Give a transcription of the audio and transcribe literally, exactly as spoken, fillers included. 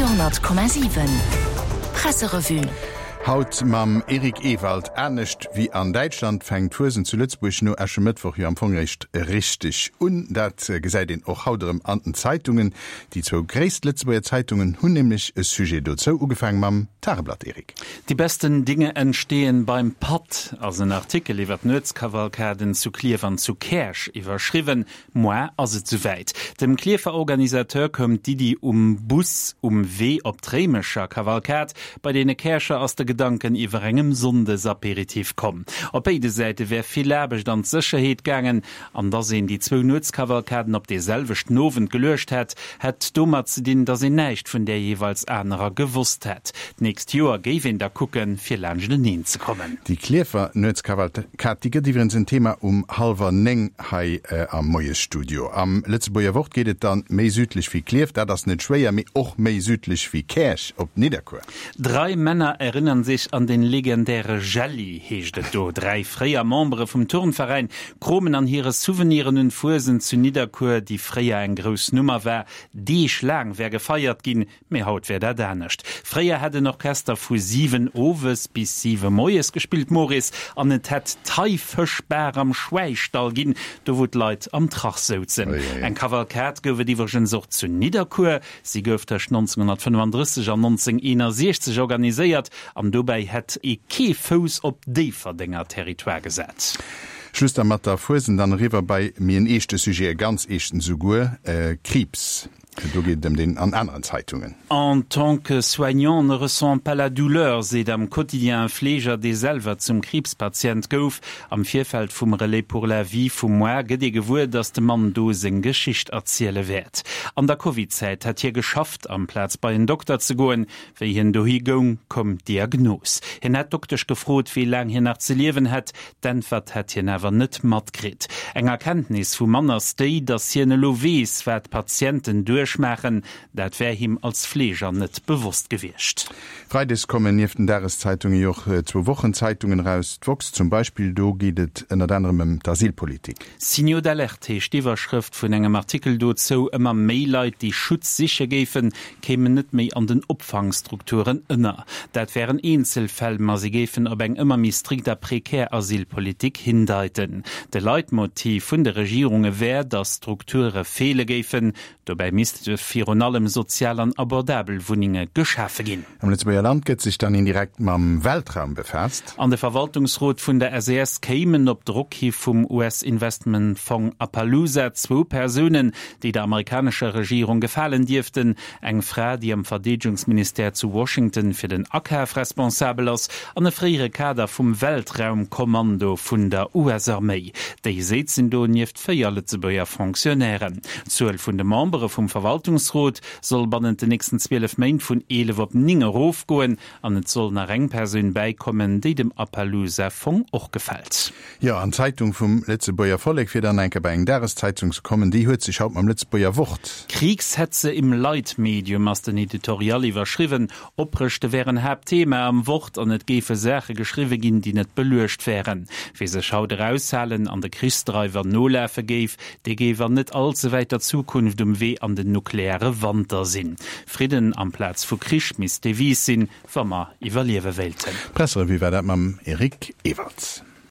Radio honnert Komma siwen Presserevue. Haut mam Eric Ewald. Anescht wéi an Däitschland fänkt d'Fuesent zu Lëtzebuerg no Äschemëttwoch jo am Fong eréischt richteg un. Dat gesäit een och haut erëm an den Zeitungen. Déi zwou gréisst Lëtzebuerger Zeitungen hunn nämlech e Sujet dozou. Ugefaange mam Tageblatt, Eric. Die besten Dinge entstehen beim Patt ass en Artikel iwwer d'Nuetskavalkaden zu Klierf an zu Käerch iwwerschriwwen. Moar ass et souwäit. Dem Klierfer Organisateur koum d'Iddi um Bus um Wee op d'Réimecher Kavalkad. Bei deene Käercher ass de Gedanken iwwer engem Sonndesaperitif komm. Op béide Säite wär vill Aarbecht an d'Sécherheet gaangen, an dass een déi zwou Nuetskavalkaden op dee selwechten Owend geluecht hätt, hätt domat ze dinn, dass een näischt vun där jeeweils anerer gewosst hätt. D'nächst Joer géif een da kucken, fir laanschteneen ze kommen. Déi Klierfer Nuetskavalkad, déi gëtt iwwregens en Thema um hallwer néng hei am Moiesstudio. Am Lëtzebuerger Wort geet et dann méi südlech wéi Klierf, dat ass net schwéier, mee och méi südlech wéi Käerch op Nidderkuer. Drei Männer erinnern sich an den legendäre Jelli, heescht et do. Dräi fréier Membere vum Turnveräin kromen an hire Souveniren un d'Fuesent zu Nidderkuer, déi fréier eng grouss Nummer war. Deeg laang wär gefeiert ginn, mee haut wär dat anescht. Fréier hätt en Orchester vu siwen owes bis siwe moies gespillt, Maurice, an et hätt d'Haifëschbar am Schwäistall ginn, do wou d'Leit am Trach souzen. Eng Kavalkad gouf et iwwregens och zu Nidderkuer. Si gouf tëscht nonzénghonnertfënnefandrësseg an nonzénghonnerteenasechzeg organiséiert an dobäi hätt ee kee Fouss op Déifferdenger Territoire gesat. Schluss da mat der Fuesent, dann eriwwer bei méi en eeschte Sujet, e ganz eeschten esouguer, Kriibs. Do geet et ëm deen an aneren Zeitungen. En tant que soignant, on ne ressent pas la douleur, seet am Quotidien e Fleeger, dee selwer zum Kriibspatient gouf. Am Virfeld vum Relais pour la vie vum Moar gëtt ee gewuer, datt de Mann do seng Geschicht erziele wäert. An der Covid-Zäit hätt hie geschafft, amplaz bei en Dokter ze goen. Wéi hien dohi goung, koum d'Diagnos. Hien hätt d'Doktesch gefrot, wéi laang hien nach ze liewen hätt. D'Äntwert hätt hien awer net matkritt. Eng Erkenntnis vum Mann ass déi, datt hien elo weess, wat d'Patienten duerchmaachen. Dat wär him als Fleeger net bewosst gewiescht. Freides kommen nieft den Dageszeitunge jo och zwou Wochenzeitungen eraus, d'woxx zum Beispill. Do geet et ënnert anerem ëm d'Asylpolitik. Signaux d'alerte heescht d'Iwwerschrëft vun engem Artikel dozou. Ëmmer méi Leit, déi Schutz siche géifen, kéimen net méi an den Opfangstrukturen ënner. Dat wären Eenzelfäll, ma si géifen op eng ëmmer méi strikt a prekär Asylpolitik hindeiten. De Leitmotiv vun de Regierunge wär, datt Strukture feele géifen. Dobäi misste virun allem sozial an abordabel Wunnenge geschafe ginn. Am Lëtzebuerger Land gëtt sech dann indirekt mam Weltraum befaasst. An de Verwaltungsrot vun der S E S kéimen op Drock hi vum U S-Investmentfong Appaloosa zwou Persounen, déi der amerikanescher Regierung gefalen dierften, eng Fra, déi am Verdeedegungsministère zu Washington fir den Akaf responsabel ass, an e fréiere Kader vum Weltraumkommando vun der U S-Arméi. Déi séizen do nieft véier Lëtzebuerger Fonctionnairen. D'Zuel vun de Membere vum Verwaltungsrot soll bannent den nächsten zwielef Méint vun eelef op néng erofgoen an et soll nach eng Persoun bäikommen, déi dem Appaloosa-Fong och gefält. Jo, an d'Zeitung vum Lëtzebuerger Vollek, fir dann eng Kéier bei eng Dageszeitung ze kommen, déi huet sech haut mam Lëtzebuerger Wort. Kriegshetze im Leitmedium ass den Editorial iwwerschriwwen. Oprëschte wären Haaptthema am Wort an et géife Saache geschriwwe ginn, déi net beluecht wären. Wie sech haut eraushalen an de Krichsdreiwer nolafe géif, dee géif an net allze wäiter Zukunft um Wee an den nukleare Wanter sinn. Fridden amplaz vu Krich misst d'Devise sinn, wa mer iwwerliewe wéilten. D'Presserevue war dat mam Eric Ewald.